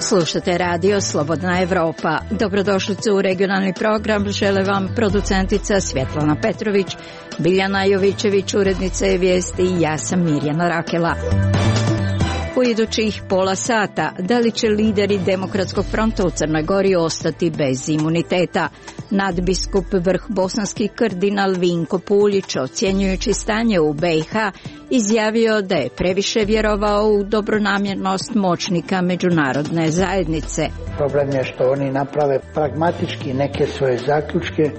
Slušate radio Slobodna Evropa. Dobrodošlice u regionalni program. Žele vam producentica Svjetlana Petrović, Biljana Jovićević, urednica je vijesti i ja sam Mirjana Rakela. U idućih pola sata, da li će lideri Demokratskog fronta u Crnoj Gori ostati bez imuniteta? Nadbiskup vrh bosanski kardinal Vinko Puljić, ocjenjujući stanje u BiH, izjavio da je previše vjerovao u dobronamjernost moćnika međunarodne zajednice. Problem je što oni naprave pragmatički neke svoje zaključke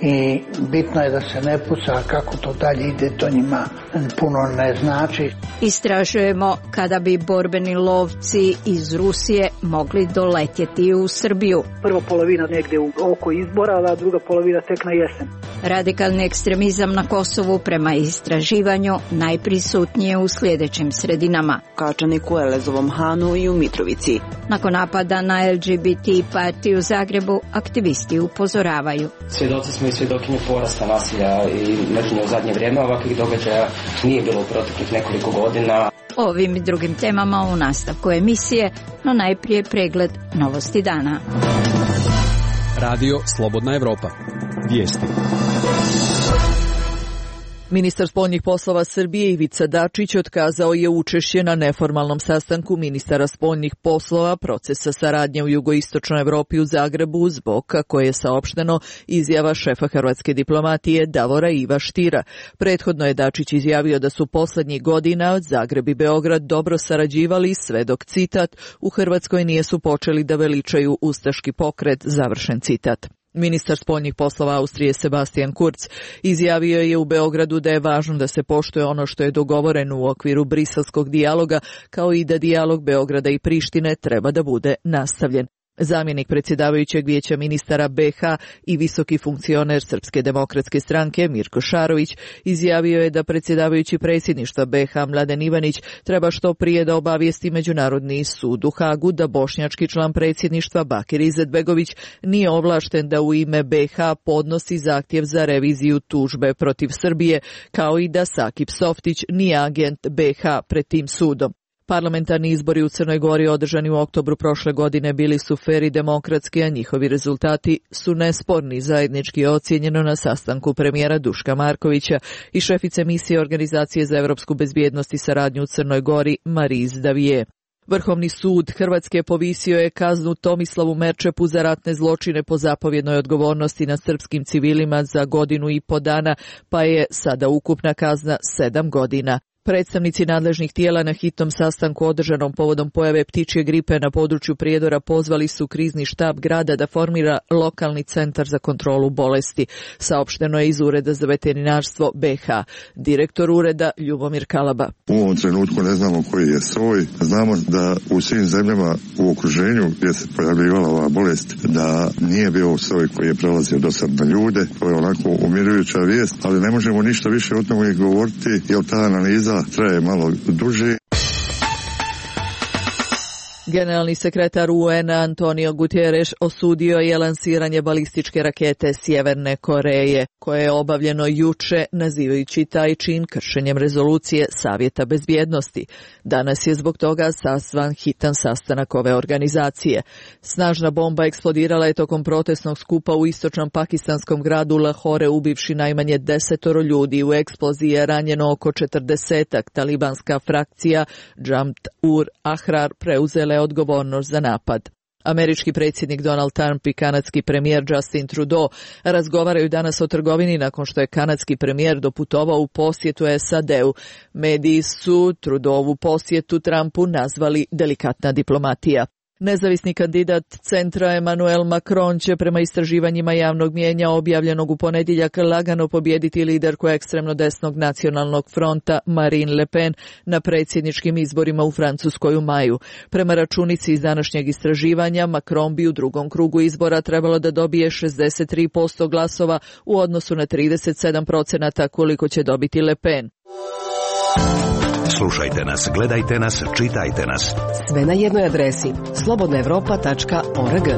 i bitno je da se ne puca, kako to dalje ide, to njima puno ne znači. Istražujemo kada bi borbeni lovci iz Rusije mogli doletjeti u Srbiju. Prva polovina negdje oko izbora, a druga polovina tek na jesen. Radikalni ekstremizam na Kosovu prema istraživanju najprisutnije u sljedećim sredinama. Kačaniku, Elezovom Hanu i u Mitrovici. Nakon napada na LGBT partiju u Zagrebu, aktivisti upozoravaju. Svjedoci smo i svjedokinje porasta nasilja i mržnje u zadnje vrijeme. Ovakvih događaja nije bilo u proteklih nekoliko godina. Ovim i drugim temama u nastavku emisije, no najprije pregled novosti dana. Radio Slobodna Evropa. Vijesti. Ministar spoljnih poslova Srbije Ivica Dačić otkazao je učešće na neformalnom sastanku ministara spoljnih poslova procesa saradnje u jugoistočnoj Evropi u Zagrebu zbog, kako je saopšteno, izjava šefa hrvatske diplomatije Davora Iva Štira. Prethodno je Dačić izjavio da su poslednjih godina Zagreb i Beograd dobro sarađivali sve dok, citat, u Hrvatskoj nijesu počeli da veličaju ustaški pokret, završen citat. Ministar spoljnih poslova Austrije Sebastian Kurz izjavio je u Beogradu da je važno da se poštuje ono što je dogovoreno u okviru briselskog dijaloga, kao i da dijalog Beograda i Prištine treba da bude nastavljen. Zamjenik predsjedavajućeg vijeća ministara BiH i visoki funkcioner Srpske demokratske stranke Mirko Šarović izjavio je da predsjedavajući predsjedništva BiH Mladen Ivanić treba što prije da obavijesti Međunarodni sud u Hagu da bošnjački član predsjedništva Bakir Izetbegović nije ovlašten da u ime BiH podnosi zahtjev za reviziju tužbe protiv Srbije, kao i da Sakip Softić nije agent BiH pred tim sudom. Parlamentarni izbori u Crnoj Gori održani u oktobru prošle godine bili su fer i demokratski, a njihovi rezultati su nesporni, zajednički ocijenjeno na sastanku premijera Duška Markovića i šefice misije Organizacije za evropsku bezbjednost i saradnju u Crnoj Gori Mariz Davije. Vrhovni sud Hrvatske povisio je kaznu Tomislavu Merčepu za ratne zločine po zapovjednoj odgovornosti nad srpskim civilima za 1,5 godinu, pa je sada ukupna kazna 7 godina. Predstavnici nadležnih tijela na hitnom sastanku održanom povodom pojave ptičje gripe na području Prijedora pozvali su krizni štab grada da formira lokalni centar za kontrolu bolesti. Saopšteno je iz Ureda za veterinarstvo BiH. Direktor ureda Ljubomir Kalaba. U ovom trenutku ne znamo koji je soj. Znamo da u svim zemljama u okruženju gdje se pojavljivala ova bolest da nije bio soj koji je prelazio do sad na ljude. To je onako umirujuća vijest, ali ne možemo ništa više o tome govoriti jer ta analiza traje malo duže. Generalni sekretar UN Antonio Guterres osudio je lansiranje balističke rakete Sjeverne Koreje, koje je obavljeno juče, nazivajući taj čin kršenjem rezolucije Savjeta bezbjednosti. Danas je zbog toga sazvan hitan sastanak ove organizacije. Snažna bomba eksplodirala je tokom protestnog skupa u istočnom pakistanskom gradu Lahore, ubivši najmanje 10 ljudi. U eksploziji je ranjeno oko 40-ak. Talibanska frakcija Jamaat ul Ahrar preuzele odgovornost za napad. Američki predsjednik Donald Trump i kanadski premijer Justin Trudeau razgovaraju danas o trgovini nakon što je kanadski premijer doputovao u posjetu SAD-u. Mediji su Trudeauvu posjetu Trumpu nazvali delikatna diplomatija. Nezavisni kandidat centra Emmanuel Macron će prema istraživanjima javnog mnijenja objavljenog u ponedjeljak lagano pobijediti liderku ekstremno desnog nacionalnog fronta Marine Le Pen na predsjedničkim izborima u Francuskoj u maju. Prema računici iz današnjeg istraživanja, Macron bi u drugom krugu izbora trebalo da dobije 63% glasova u odnosu na 37% koliko će dobiti Le Pen. Slušajte nas, gledajte nas, čitajte nas. Sve na jednoj adresi slobodnaevropa.org.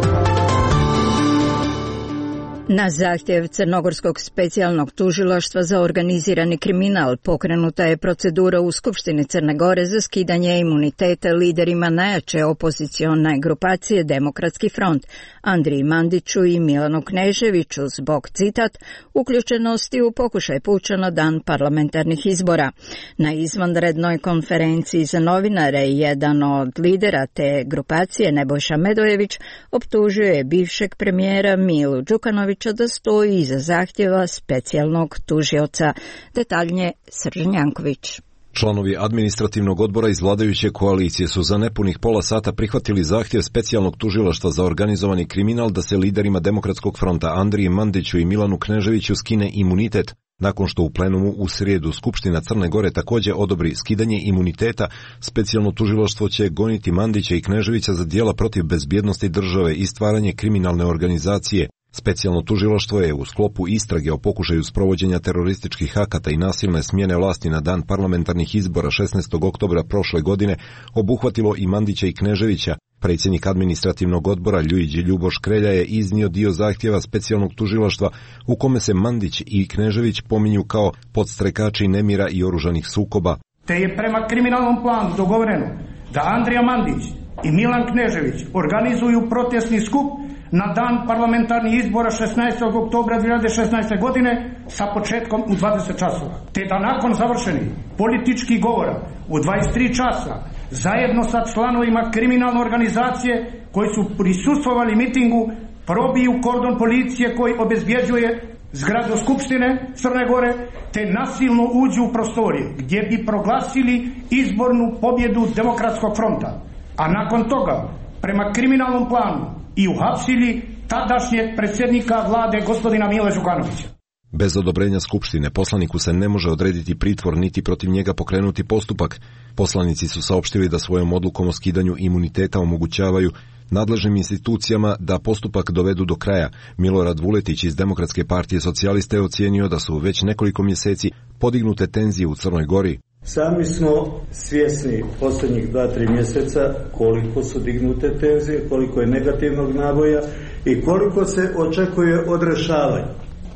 Na zahtjev Crnogorskog specijalnog tužilaštva za organizirani kriminal pokrenuta je procedura u Skupštini Crne Gore za skidanje imuniteta liderima najjače opozicione grupacije Demokratski front, Andriji Mandiću i Milanu Kneževiću zbog, citat, uključenosti u pokušaj puča na dan parlamentarnih izbora. Na izvanrednoj konferenciji za novinare jedan od lidera te grupacije, Nebojša Medojević, optužio je bivšeg premijera Milu Đukanovića da stoji iza zahtjeva specijalnog tužioca. Detaljnije Srđan Janković. Članovi administrativnog odbora iz vladajuće koalicije su za nepunih pola sata prihvatili zahtjev specijalnog tužilaštva za organizovani kriminal da se liderima Demokratskog fronta Andriji Mandiću i Milanu Kneževiću skine imunitet. Nakon što u plenumu u srijedu Skupština Crne Gore također odobri skidanje imuniteta, specijalno tužilaštvo će goniti Mandića i Kneževića za djela protiv bezbjednosti države i stvaranje kriminalne organizacije. Specijalno tužilaštvo je u sklopu istrage o pokušaju sprovođenja terorističkih akata i nasilne smjene vlasti na dan parlamentarnih izbora 16. oktobra prošle godine obuhvatilo i Mandića i Kneževića. Predsjednik administrativnog odbora Luigi Ljuboš Krelja je iznio dio zahtjeva specijalnog tužilaštva u kome se Mandić i Knežević pominju kao podstrekači nemira i oružanih sukoba. Te je prema kriminalnom planu dogovoreno da Andrija Mandić i Milan Knežević organizuju protestni skup na dan parlamentarnih izbora 16. oktobra 2016. godine sa početkom u 20 časova. Te da nakon završenih političkih govora u 23 časa zajedno sa članovima kriminalne organizacije koji su prisustvovali mitingu probiju kordon policije koji obezbjeđuje zgradu Skupštine Crne Gore te nasilno uđu u prostorije gdje bi proglasili izbornu pobjedu Demokratskog fronta. A nakon toga prema kriminalnom planu i uhapsili tadašnjeg predsjednika vlade gospodina Mila Đukanovića. Bez odobrenja Skupštine poslaniku se ne može odrediti pritvor niti protiv njega pokrenuti postupak. Poslanici su saopštili da svojom odlukom o skidanju imuniteta omogućavaju nadležnim institucijama da postupak dovedu do kraja. Milorad Vuletić iz Demokratske partije socijalista je ocijenio da su već nekoliko mjeseci podignute tenzije u Crnoj Gori. Sami smo svjesni posljednjih 2-3 mjeseca koliko su dignute tenzije, koliko je negativnog naboja i koliko se očekuje odrešavanje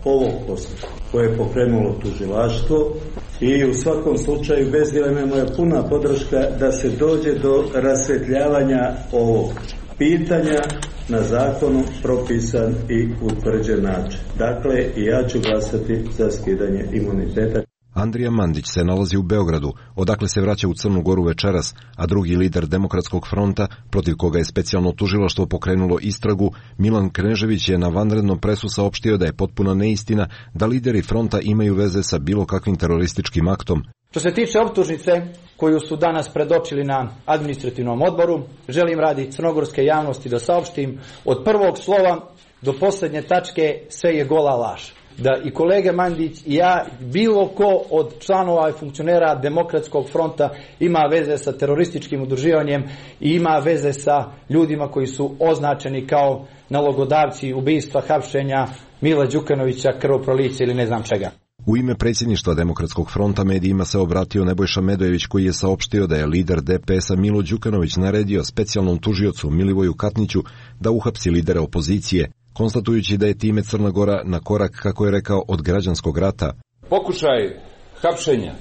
ovog postupka koje je pokrenulo tužilaštvo i u svakom slučaju bez dileme moja puna podrška da se dođe do rasvjetljavanja ovog pitanja na zakonu propisan i utvrđen način. Dakle, i ja ću glasati za skidanje imuniteta. Andrija Mandić se nalazi u Beogradu, odakle se vraća u Crnu Goru večeras, a drugi lider Demokratskog fronta, protiv koga je specijalno tužilaštvo pokrenulo istragu, Milan Knežević je na vanrednom presu saopštio da je potpuna neistina da lideri fronta imaju veze sa bilo kakvim terorističkim aktom. Što se tiče optužnice koju su danas predočili na administrativnom odboru, želim radi crnogorske javnosti da saopštim od prvog slova do posljednje tačke sve je gola laž. Da i kolege Mandić i ja, bilo ko od članova i funkcionera Demokratskog fronta ima veze sa terorističkim udruživanjem i ima veze sa ljudima koji su označeni kao nalogodavci ubistva, hapšenja Mila Đukanovića, krvoprolića ili ne znam čega. U ime predsjedništva Demokratskog fronta medijima se obratio Nebojša Medojević koji je saopštio da je lider DPS-a Milo Đukanović naredio specijalnom tužiocu Milivoju Katniću da uhapsi lidere opozicije, konstatujući da je time Crna Gora na korak, kako je rekao, od građanskog rata. Pokušaj hapšenja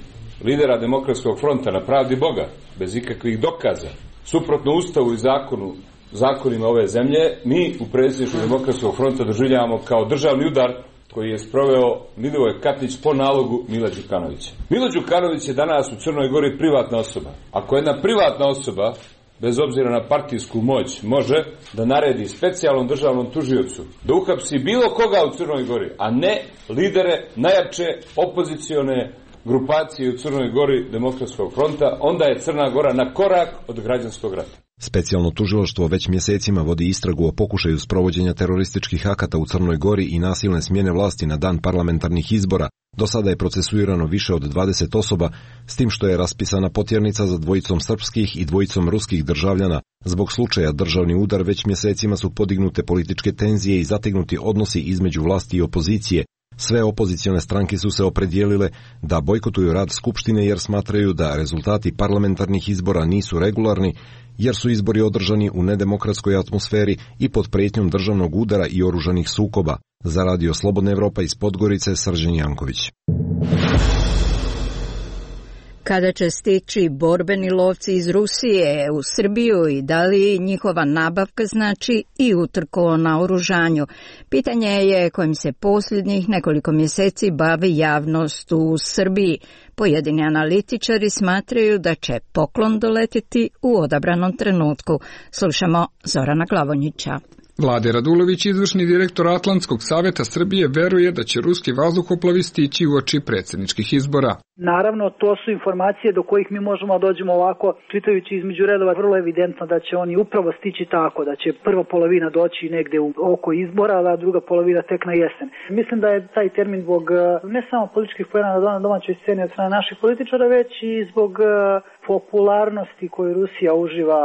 lidera Demokratskog fronta na pravdi Boga, bez ikakvih dokaza, suprotno Ustavu i zakonima ove zemlje, mi u predsjedništvu Demokratskog fronta doživljavamo kao državni udar koji je sproveo Milivoj Katnić po nalogu Mila Đukanovića. Milo Đukanović je danas u Crnoj Gori privatna osoba. Ako jedna privatna osoba, bez obzira na partijsku moć, može da naredi specijalnom državnom tužiocu da uhapsi bilo koga u Crnoj Gori, a ne lidere najjače opozicione grupacije u Crnoj Gori Demokratskog fronta, onda je Crna Gora na korak od građanskog rata. Specijalno tužilaštvo već mjesecima vodi istragu o pokušaju sprovođenja terorističkih akata u Crnoj Gori i nasilne smjene vlasti na dan parlamentarnih izbora. Do sada je procesuirano više od 20 osoba, s tim što je raspisana potjernica za 2 srpskih i 2 ruskih državljana. Zbog slučaja državni udar već mjesecima su podignute političke tenzije i zategnuti odnosi između vlasti i opozicije. Sve opozicione stranke su se opredijelile da bojkotuju rad Skupštine jer smatraju da rezultati parlamentarnih izbora nisu regularni jer su izbori održani u nedemokratskoj atmosferi i pod prijetnjom državnog udara i oružanih sukoba. Za Radio Slobodna Evropa iz Podgorice, Srđan Janković. Kada će stići borbeni lovci iz Rusije u Srbiju i da li njihova nabavka znači i utrku o naoružanju? Pitanje je kojim se posljednjih nekoliko mjeseci bavi javnost u Srbiji. Pojedini analitičari smatraju da će poklon doletiti u odabranom trenutku. Slušamo Zorana Glavonjića. Vlade Radulović, izvršni direktor Atlantskog saveta Srbije, veruje da će ruski vazduhoplovi stići uoči predsjedničkih izbora. Naravno, to su informacije do kojih mi možemo dođemo ovako, čitajući između redova, vrlo evidentno da će oni upravo stići tako, da će prva polovina doći negde u oko izbora, a druga polovina tek na jesen. Mislim da je taj termin zbog ne samo političkih pojena na domaćoj sceni od strane naših političara, već i zbog popularnosti koju Rusija uživa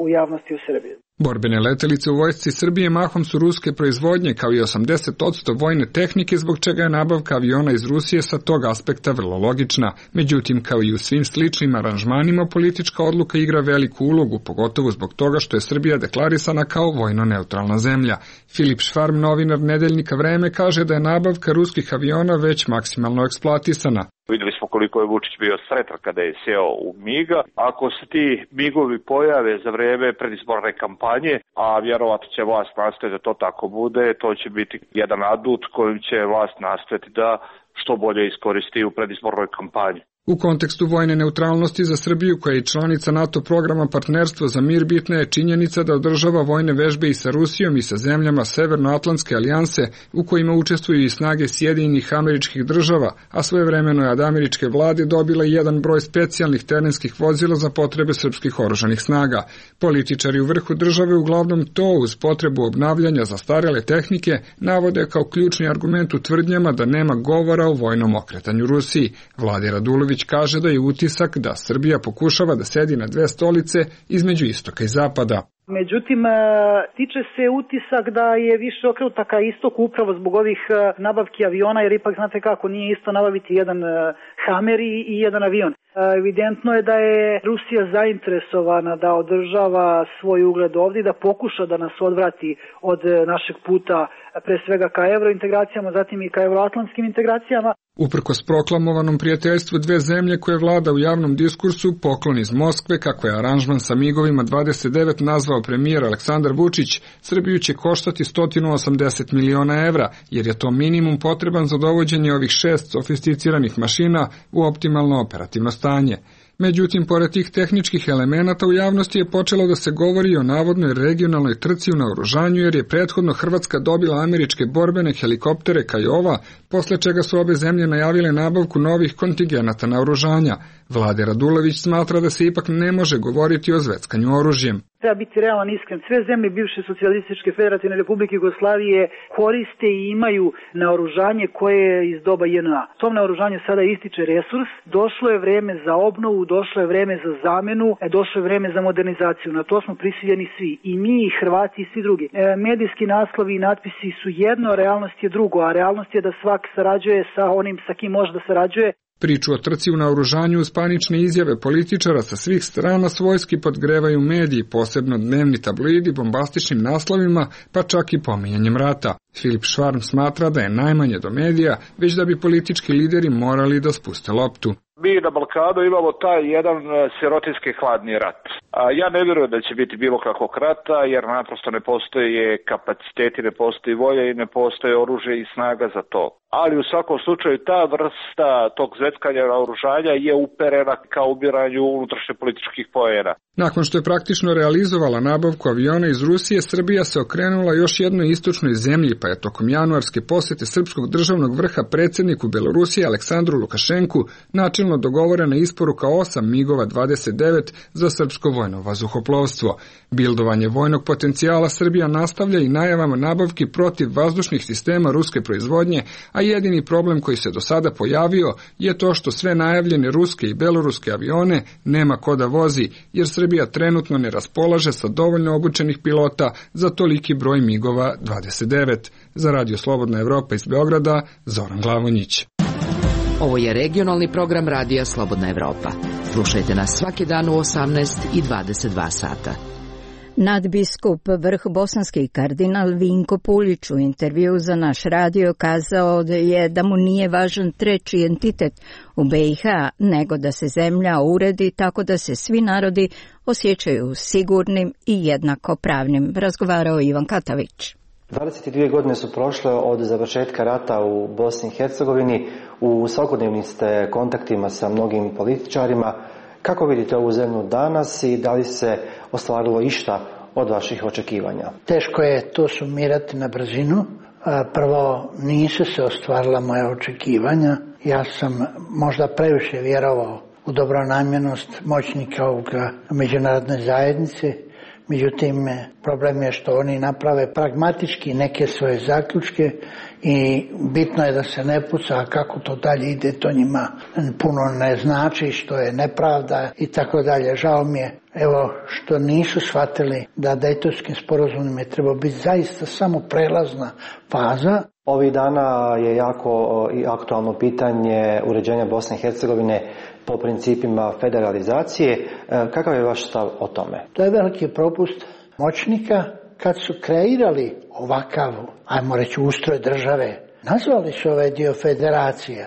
u javnosti u Srbiji. Borbene letelice u vojsci Srbije mahom su ruske proizvodnje, kao i 80% vojne tehnike, zbog čega je nabavka aviona iz Rusije sa tog aspekta vrlo logična. Međutim, kao i u svim sličnim aranžmanima, politička odluka igra veliku ulogu, pogotovo zbog toga što je Srbija deklarisana kao vojno neutralna zemlja. Filip Švarm, novinar nedeljnika Vreme, kaže da je nabavka ruskih aviona već maksimalno eksploatisana. Vidjeli smo koliko je Vučić bio sretan kada je sjeo u MIG-a. Ako se ti MIG-ovi pojave za vrijeme predizborne kampanje, a vjerovatno će vlast nastojati da to tako bude, to će biti jedan adut kojim će vlast nastojati da što bolje iskoristi u predizbornoj kampanji. U kontekstu vojne neutralnosti za Srbiju, koja je članica NATO programa Partnerstvo za mir, bitna je činjenica da održava vojne vežbe i sa Rusijom i sa zemljama Severnoatlantske alijanse, u kojima učestvuju i snage Sjedinjenih Američkih Država, a svojevremeno je od američke vlade dobila jedan broj specijalnih terenskih vozila za potrebe srpskih oružanih snaga. Političari u vrhu države uglavnom to, uz potrebu obnavljanja zastarjele tehnike, navode kao ključni argument u tvrdnjama da nema govora o vojnom okretanju Rusiji. Vlade Radulović kaže da je utisak da Srbija pokušava da sedi na dve stolice između istoka i zapada. Međutim, tiče se utisak da je više okrenuta ka istoku upravo zbog ovih nabavki aviona, jer ipak znate kako, nije isto nabaviti jedan Hammer i jedan avion. Evidentno je da je Rusija zainteresovana da održava svoj ugled ovdje i da pokuša da nas odvrati od našeg puta pre svega ka eurointegracijama, zatim i ka euroatlantskim integracijama. Uprkos proklamovanom prijateljstvu dve zemlje koje vlada u javnom diskursu, poklon iz Moskve, kako je aranžman sa MIG-ovima 29 nazvao premijer Aleksandar Vučić, Srbiju će koštati 180 miliona evra, jer je to minimum potreban za dovođenje ovih 6 sofisticiranih mašina u optimalno operativno stanje. Međutim, pored tih tehničkih elemenata u javnosti je počelo da se govori o navodnoj regionalnoj trci u naoružanju, jer je prethodno Hrvatska dobila američke borbene helikoptere Kajova, posle čega su obe zemlje najavile nabavku novih kontingenata naoružanja. Vlade Radulović smatra da se ipak ne može govoriti o zveckanju oružjem. Treba biti realan iskren. Sve zemlje bivše socijalističke federativne republike Jugoslavije koriste i imaju naoružanje koje je iz doba JNA. Tom naoružanju sada ističe resurs, došlo je vreme za obnovu, došlo je vreme za zamenu, došlo je vreme za modernizaciju. Na to smo prisiljeni svi, i mi, i Hrvati, i svi drugi. Medijski naslovi i natpisi su jedno, realnost je drugo, a realnost je da svak sarađuje sa onim sa kim može da sarađuje. Priču o trci u naoružanju uz panične izjave političara sa svih strana svojski podgrevaju mediji, posebno dnevni tabloidi bombastičnim naslovima, pa čak i pominjanjem rata. Filip Švarm smatra da je najmanje do medija, već da bi politički lideri morali da spuste loptu. Mi na Balkanu imamo taj jedan sirotinski hladni rat. Ja ne vjerujem da će biti bilo kakvog rata, jer naprosto ne postoje kapaciteti, ne postoji volja i ne postoje oružje i snaga za to. Ali u svakom slučaju ta vrsta tog zveckanja naoružanja je uperena ka ubiranju unutrašnje političkih poena. Nakon što je praktično realizovala nabavku aviona iz Rusije, Srbija se okrenula još jednoj istočnoj zemlji, pa je tokom januarske posjete srpskog državnog vrha predsjedniku Belorusije Aleksandru Lukašenku načelno dogovorena isporuka 8 MIG-ova 29 za srpsko vojno vazduhoplovstvo. Bildovanje vojnog potencijala Srbija nastavlja i najavama nabavki protiv vazdušnih sistema ruske proizvodnje, a jedini problem koji se do sada pojavio je to što sve najavljene ruske i beloruske avione nema ko da vozi, jer Srbija trenutno ne raspolaže sa dovoljno obučenih pilota za toliki broj MIG-ova 29. Za Radio Slobodna Evropa iz Beograda, Zoran Glavonjić. Ovo je regionalni program radija Slobodna Evropa. Slušajte nas svaki dan u 18 i 22 sata. Nadbiskup vrh bosanski kardinal Vinko Puljić u intervju za naš radio kazao je da mu nije važan treći entitet u BiH, nego da se zemlja uredi tako da se svi narodi osjećaju sigurnim i jednakopravnim. Razgovarao Ivan Katavić. 22 godine su prošle od završetka rata u Bosni i Hercegovini. U svakodnevnim ste kontaktima sa mnogim političarima. Kako vidite ovu zemlju danas i da li se ostvarilo išta od vaših očekivanja? Teško je to sumirati na brzinu. Prvo, nisu se ostvarila moja očekivanja. Ja sam možda previše vjerovao u dobronamjernost moćnika ovoga međunarodne zajednice. Međutim, problem je što oni naprave pragmatički neke svoje zaključke i bitno je da se ne puca, a kako to dalje ide, to njima puno ne znači, što je nepravda i tako dalje. Žao mi je, evo, što nisu shvatili da Dejtonskim sporazumom je trebao biti zaista samo prelazna faza. Ovih dana je jako i aktualno pitanje uređenja Bosne i Hercegovine po principima federalizacije. Kakav je vaš stav o tome? To je veliki propust moćnika kad su kreirali ovakav, ajmo reći, ustroj države. Nazvali su ovaj dio federacija,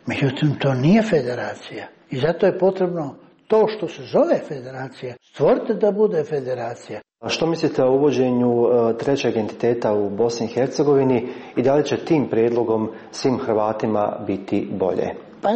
međutim to nije federacija i zato je potrebno to što se zove federacija stvoriti da bude federacija. A što mislite o uvođenju trećeg entiteta u Bosni i Hercegovini i da li će tim prijedlogom svim Hrvatima biti bolje? Pa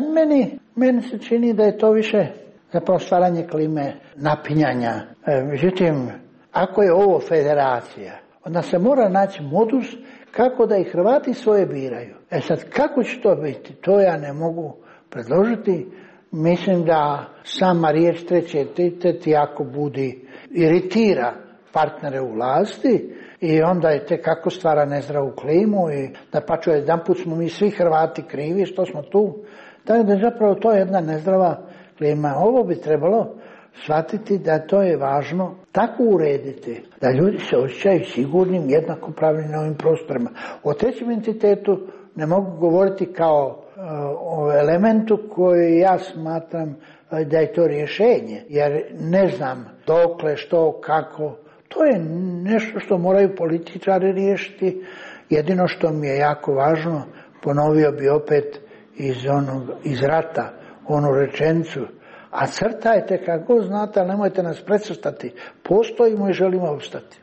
meni se čini da je to više zapravo stvaranje klime napinjanja. Međutim, ako je ovo federacija, onda se mora naći modus kako da i Hrvati svoje biraju. Sad, kako će to biti, to ja ne mogu predložiti. Mislim da sama riječ treći entitet jako budi iritira partnere u vlasti i onda je te kako stvara nezdravu klimu i da paču jedanput smo mi svi Hrvati krivi što smo tu. Tako da je zapravo to jedna nezdrava klima. Ovo bi trebalo shvatiti da to je važno tako urediti da ljudi se osjećaju sigurnim, jednakopravnim na ovim prostorima. O trećem entitetu ne mogu govoriti kao o elementu koji ja smatram da je to rješenje, jer ne znam dokle, što, kako. To je nešto što moraju političari riješiti. Jedino što mi je jako važno, ponovio bi opet iz rata onu rečenicu, a crtajte kako znate, ali nemojte nas precrtati. Postojimo i želimo opstati.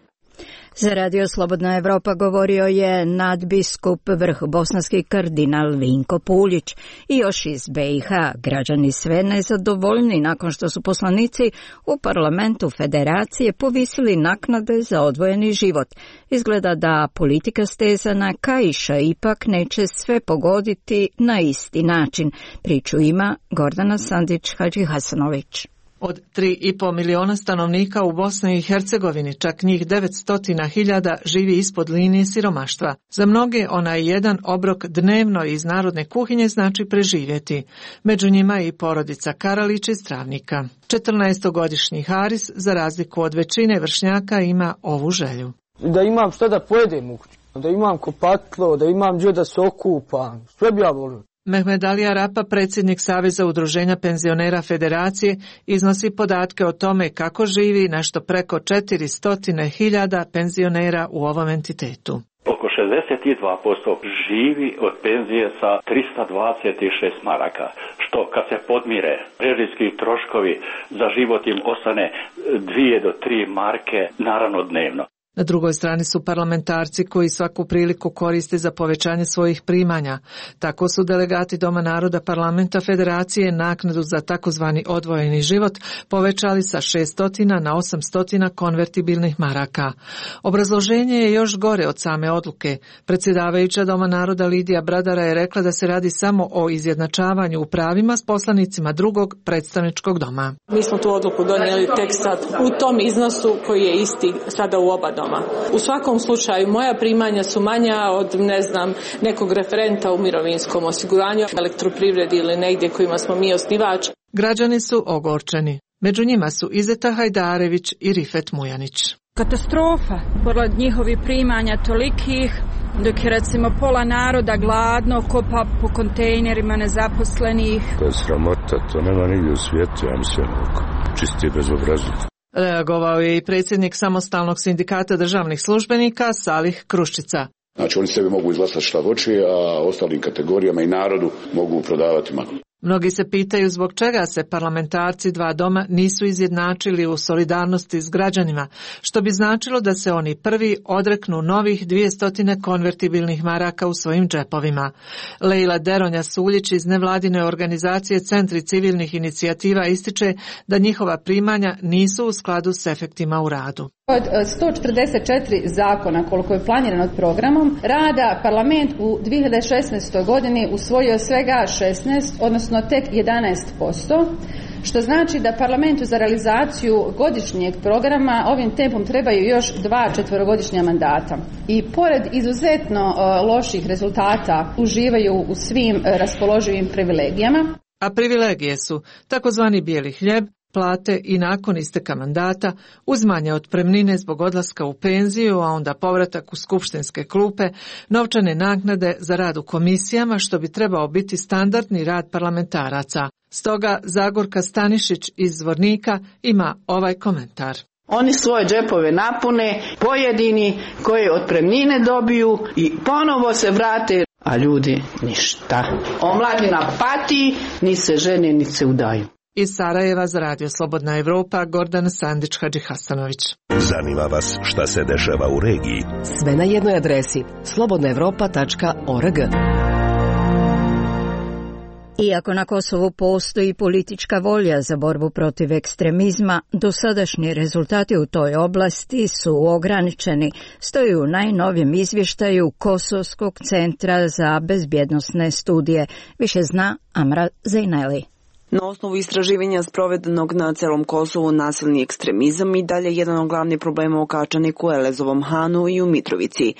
Za Radio Slobodna Evropa govorio je nadbiskup vrh bosanski kardinal Vinko Puljić. I još iz BiH građani sve nezadovoljni nakon što su poslanici u parlamentu federacije povisili naknade za odvojeni život. Izgleda da politika stezana kaiša ipak neće sve pogoditi na isti način. Priču ima Gordana Sandić-Hadžihasanović. Od 3,5 miliona stanovnika u Bosni i Hercegovini, čak njih 900.000 živi ispod linije siromaštva. Za mnoge onaj jedan obrok dnevno iz narodne kuhinje znači preživjeti. Među njima je i porodica Karalić iz Travnika. 14-godišnji Haris, za razliku od većine vršnjaka, ima ovu želju. Da imam što da pojedem u kuću, da imam kopatlo, da imam gdje da se okupam, sve bi ja volio. Mehmed Ali Arapa, predsjednik Saveza udruženja penzionera Federacije, iznosi podatke o tome kako živi nešto preko 400.000 penzionera u ovom entitetu. Oko 62% živi od penzije sa 326 maraka, što kad se podmire režijski troškovi za život im ostane 2 do 3 marke naravno dnevno. Na drugoj strani su parlamentarci koji svaku priliku koriste za povećanje svojih primanja. Tako su delegati Doma naroda parlamenta Federacije naknadu za takozvani odvojeni život povećali sa 600 na 800 konvertibilnih maraka. Obrazloženje je još gore od same odluke. Predsjedavajuća Doma naroda Lidija Bradara je rekla da se radi samo o izjednačavanju u pravima s poslanicima drugog predstavničkog doma. Mi smo tu odluku donijeli tek sad u tom iznosu koji je isti sada u oba doma. U svakom slučaju moja primanja su manja od nekog referenta u mirovinskom osiguranju, elektroprivredi ili negdje kojima smo mi osnivač. Građani su ogorčeni. Među njima su Izeta Hajdarević i Rifet Mujanić. Katastrofa, pored njihovih primanja tolikih, dok je recimo pola naroda gladno, kopa po kontejnerima nezaposlenih. To je sramota, to nema nigdje u svijetu, ja mislim, čisti bezobrazluk. Reagovao je i predsjednik Samostalnog sindikata državnih službenika Salih Kruščica. Znači oni sebi mogu izglasati šta hoće, a ostalim kategorijama i narodu mogu prodavati maglu. Mnogi se pitaju zbog čega se parlamentarci dva doma nisu izjednačili u solidarnosti s građanima, što bi značilo da se oni prvi odreknu novih 200 konvertibilnih maraka u svojim džepovima. Lejla Deronja-Suljić iz nevladine organizacije Centri civilnih inicijativa ističe da njihova primanja nisu u skladu s efektima u radu. Od 144 zakona koliko je planirano programom rada, parlament u 2016. godini usvojio svega 16, odnosno tek 11%, što znači da parlamentu za realizaciju godišnjeg programa ovim tempom trebaju još 2 četverogodišnja mandata. I pored izuzetno loših rezultata uživaju u svim raspoloživim privilegijama. A privilegije su takozvani bijeli hljeb, plate i nakon isteka mandata, uzmanje otpremnine zbog odlaska u penziju, a onda povratak u skupštinske klupe, novčane naknade za rad u komisijama, što bi trebao biti standardni rad parlamentaraca. Stoga Zagorka Stanišić iz Zvornika ima ovaj komentar. Oni svoje džepove napune, pojedini koje otpremnine dobiju i ponovo se vrate, a ljudi ništa. Omladina pati, ni se žene, ni se udaju. Iz Sarajeva za Radio Slobodna Evropa, Gordan Sandić-Hadžihasanović. Zanima vas šta se dešava u regiji? Sve na jednoj adresi, slobodnaevropa.org. Iako na Kosovu postoji politička volja za borbu protiv ekstremizma, dosadašnji rezultati u toj oblasti su ograničeni, stoji u najnovijem izvještaju Kosovskog centra za bezbjednosne studije. Više zna Amra Zejneli. Na osnovu istraživanja sprovedenog na celom Kosovu, nasilni ekstremizam i dalje jedan od glavnih problema u Kačaniku, Elezovom Hanu i u Mitrovici.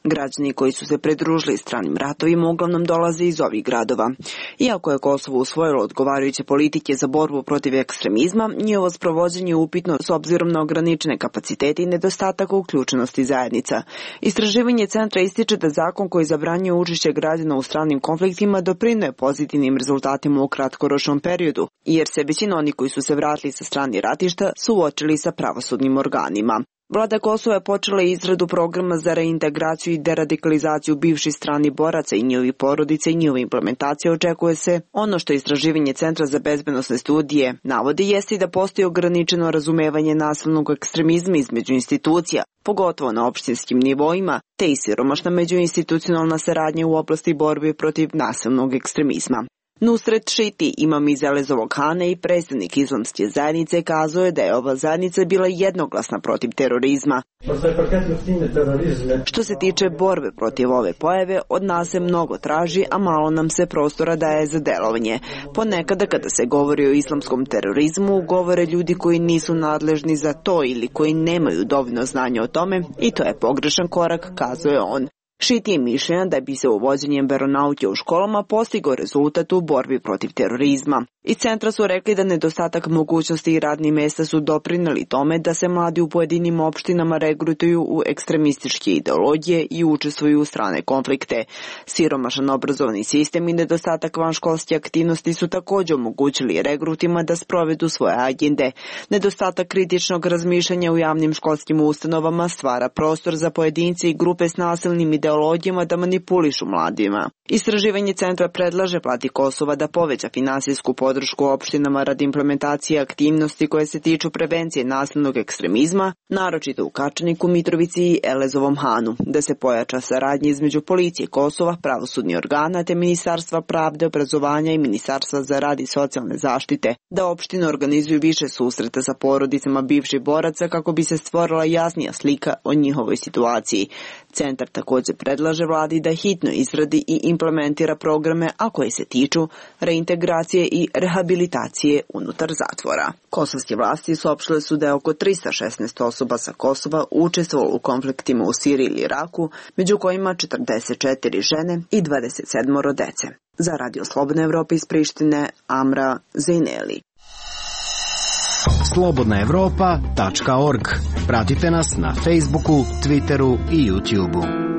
Građani koji su se pridružili stranim ratovima uglavnom dolaze iz ovih gradova. Iako je Kosovo usvojilo odgovarajuće politike za borbu protiv ekstremizma, njihovo sprovođenje je upitno s obzirom na ograničene kapacitete i nedostatak uključenosti zajednica. Istraživanje centra ističe da zakon koji zabranjuje učešće građana u stranim konfliktima doprinuje pozitivnim rezultatima u kratkoročnom periodu, jer se većina onih koji su se vratili sa strani ratišta suočili sa pravosudnim organima. Vlada Kosova je počela izradu programa za reintegraciju i deradikalizaciju bivših stranih boraca i njihovih porodica i njihova implementacija očekuje se. Ono što istraživanje Centra za bezbednosne studije navodi jeste da postoji ograničeno razumevanje nasilnog ekstremizma između institucija, pogotovo na opštinskim nivoima, te i siromašna međuinstitucionalna saradnja u oblasti borbe protiv nasilnog ekstremizma. Nusret Šiti, imam iz Elezovog Hana i predstavnik islamske zajednice, kazao je da je ova zajednica bila jednoglasna protiv terorizma. Što se tiče borbe protiv ove pojave, od nas se mnogo traži, a malo nam se prostora daje za delovanje. Ponekada kada se govori o islamskom terorizmu, govore ljudi koji nisu nadležni za to ili koji nemaju dovoljno znanja o tome i to je pogrešan korak, kazao je on. Šiti je mišljenja da bi se uvođenjem veronauke u školama postigao rezultat u borbi protiv terorizma. Iz centra su rekli da nedostatak mogućnosti i radnih mjesta su doprinijeli tome da se mladi u pojedinim opštinama regrutuju u ekstremističke ideologije i učestvuju u strane konflikte. Siromašan obrazovni sistem i nedostatak vanškolske aktivnosti su također omogućili regrutima da sprovedu svoje agende. Nedostatak kritičnog razmišljanja u javnim školskim ustanovama stvara prostor za pojedince i grupe s nasilnim ideologijama da manipulišu mladima. Istraživanje centra predlaže vladi Kosova da poveća finansijsku podršku opštinama radi implementacije aktivnosti koje se tiču prevencije nasilnog ekstremizma, naročito u Kačaniku, Mitrovici i Elezovom Hanu, da se pojača saradnja između policije Kosova, pravosudnih organa te Ministarstva pravde, obrazovanja i Ministarstva za rad i socijalne zaštite, da opštine organizuju više susreta sa porodicama bivših boraca kako bi se stvorila jasnija slika o njihovoj situaciji. Centar također predlaže vladi da hitno izradi i implementira programe, a koji se tiču reintegracije i rehabilitacije unutar zatvora. Kosovske vlasti saopštile su da je oko 316 osoba sa Kosova učestvovalo u konfliktima u Siriji ili Iraku, među kojima 44 žene i 27 dece. Za Radio Slobodna Evropa iz Prištine, Amra Zejneli. slobodnaevropa.org Pratite nas na Facebooku, Twitteru i YouTubeu.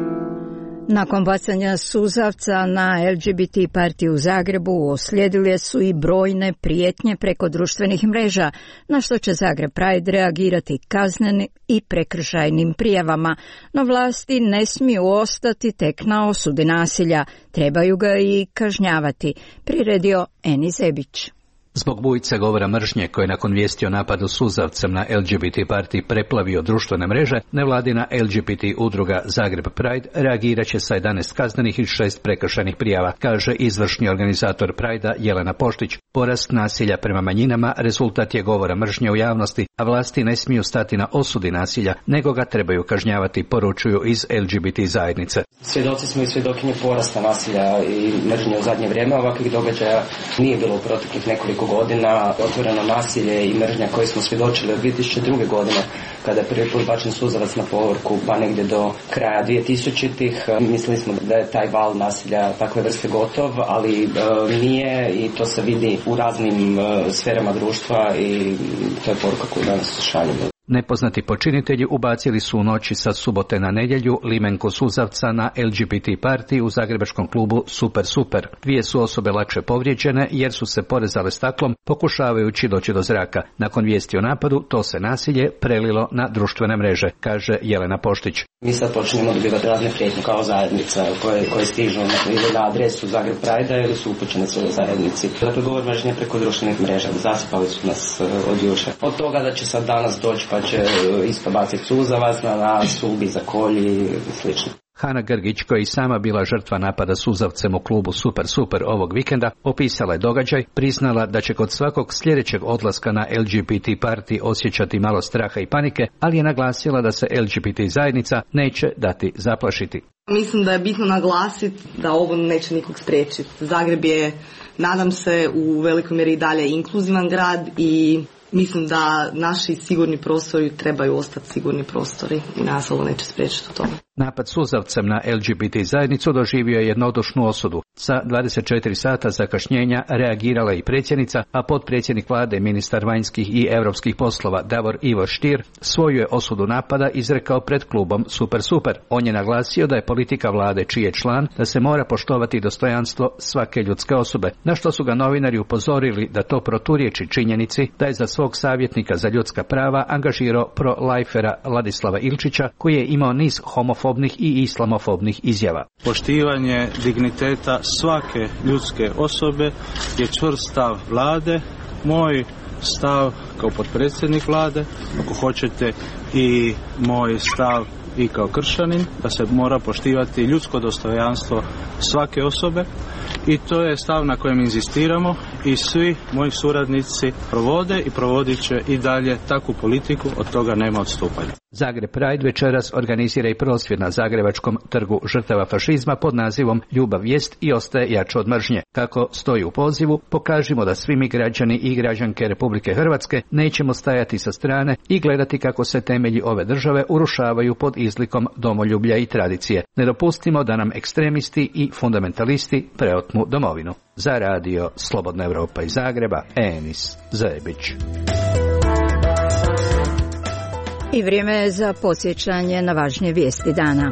Nakon bacanja suzavca na LGBT partiju u Zagrebu uslijedile su i brojne prijetnje preko društvenih mreža, na što će Zagreb Pride reagirati kaznenim i prekršajnim prijavama, no vlasti ne smiju ostati tek na osudi nasilja, trebaju ga i kažnjavati, priredio Eni Zebić. Zbog bujice govora mržnje koje nakon vijesti o napadu suzavcem na LGBT partiji preplavio društvene mreže, nevladina LGBT udruga Zagreb Pride reagirat će sa 11 kaznenih i 6 prekršajnih prijava, kaže izvršni organizator Pride-a Jelena Poštić. Porast nasilja prema manjinama rezultat je govora mržnje u javnosti, a vlasti ne smiju stati na osudi nasilja, nego ga trebaju kažnjavati, poručuju iz LGBT zajednice. Svjedoci smo i svjedokinje porasta nasilja i mržnje u zadnje vrijeme. Ovakvih događaja nije bilo u proteklih nekoliko godina. Otvoreno nasilje i mržnja koje smo svjedočili od 2002. godine, kada je prvi put bačen suzavac na povorku, pa negdje do kraja 2000-ih. Mislili smo da je taj val nasilja takve vrste gotov, ali nije, i to se vidi u raznim sferama društva i to je poruka koju danas šaljemo. Nepoznati počinitelji ubacili su u noći sa subote na nedjelju limenku suzavca na LGBT partiji u zagrebačkom klubu Super Super. 2 su osobe lakše povrijeđene jer su se porezale staklom pokušavajući doći do zraka. Nakon vijesti o napadu to se nasilje prelilo na društvene mreže, kaže Jelena Poštić. Mi sad počnemo dobivati razne prijetnje kao zajednica koje stižu ili na adresu Zagreb Pride-a ili su upućene svojoj zajednici. Dakle, govor mržnje preko društvenih mreža, zasipali su nas od jučer. Od toga da će sad danas doći pa će isto baciti suzavac na nas, ubi, zakolji i slično. Hana Grgić, koja je sama bila žrtva napada suzavcem u klubu Super Super ovog vikenda, opisala je događaj, priznala da će kod svakog sljedećeg odlaska na LGBT partiji osjećati malo straha i panike, ali je naglasila da se LGBT zajednica neće dati zaplašiti. Mislim da je bitno naglasiti da ovo neće nikog spriječiti. Zagreb je, nadam se, u velikoj mjeri i dalje inkluzivan grad i mislim da naši sigurni prostori trebaju ostati sigurni prostori i nas ovo neće spriječiti u tome. Napad suzavcem na LGBT zajednicu doživio je jednodušnu osudu. Sa 24 sata zakašnjenja reagirala i predsjednica, a potpredsjednik vlade, ministar vanjskih i europskih poslova Davor Ivo Stier svoju je osudu napada izrekao pred klubom Super Super. On je naglasio da je politika vlade čiji je član da se mora poštovati dostojanstvo svake ljudske osobe, na što su ga novinari upozorili da to proturječi činjenici da je za svog savjetnika za ljudska prava angažirao pro-lifera Ladislava Ilčića, koji je imao niz homofobnih i islamofobnih izjava. Poštivanje digniteta svake ljudske osobe je čvrst stav vlade, moj stav kao potpredsjednik vlade, ako hoćete i moj stav i kao kršćanin, da se mora poštivati ljudsko dostojanstvo svake osobe i to je stav na kojem inzistiramo i svi moji suradnici provode i provodit će i dalje takvu politiku, od toga nema odstupanja. Zagreb Pride večeras organizira i prosvjed na Zagrebačkom trgu žrtava fašizma pod nazivom Ljubav jest i ostaje jača od mržnje. Kako stoji u pozivu, pokažimo da svi mi građani i građanke Republike Hrvatske nećemo stajati sa strane i gledati kako se temelji ove države urušavaju pod izlikom domoljublja i tradicije. Ne dopustimo da nam ekstremisti i fundamentalisti preotmu domovinu. Za radio Slobodna Evropa iz Zagreba, Enis Zebić. I vrijeme je za podsjećanje na važnije vijesti dana.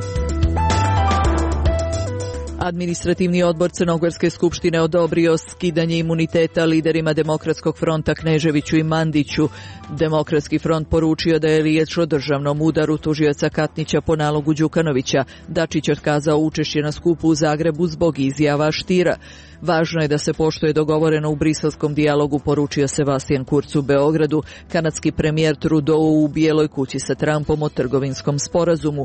Administrativni odbor Crnogorske skupštine odobrio skidanje imuniteta liderima Demokratskog fronta Kneževiću i Mandiću. Demokratski front poručio da je riječ o državnom udaru tužioca Katnića po nalogu Đukanovića. Dačić otkazao učešće na skupu u Zagrebu zbog izjava Štira. Važno je da se poštuje dogovoreno u briselskom dijalogu, poručio Sebastian Kurz u Beogradu. Kanadski premijer Trudeau u Bijeloj kući sa Trumpom o trgovinskom sporazumu.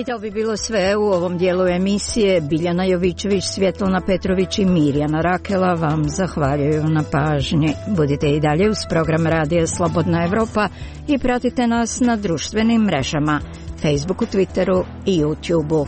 I to bi bilo sve u ovom dijelu emisije. Biljana Jovićević, Svjetlana Petrović i Mirjana Rakela vam zahvaljuju na pažnji. Budite i dalje uz program Radija Slobodna Evropa i pratite nas na društvenim mrežama, Facebooku, Twitteru i YouTubeu.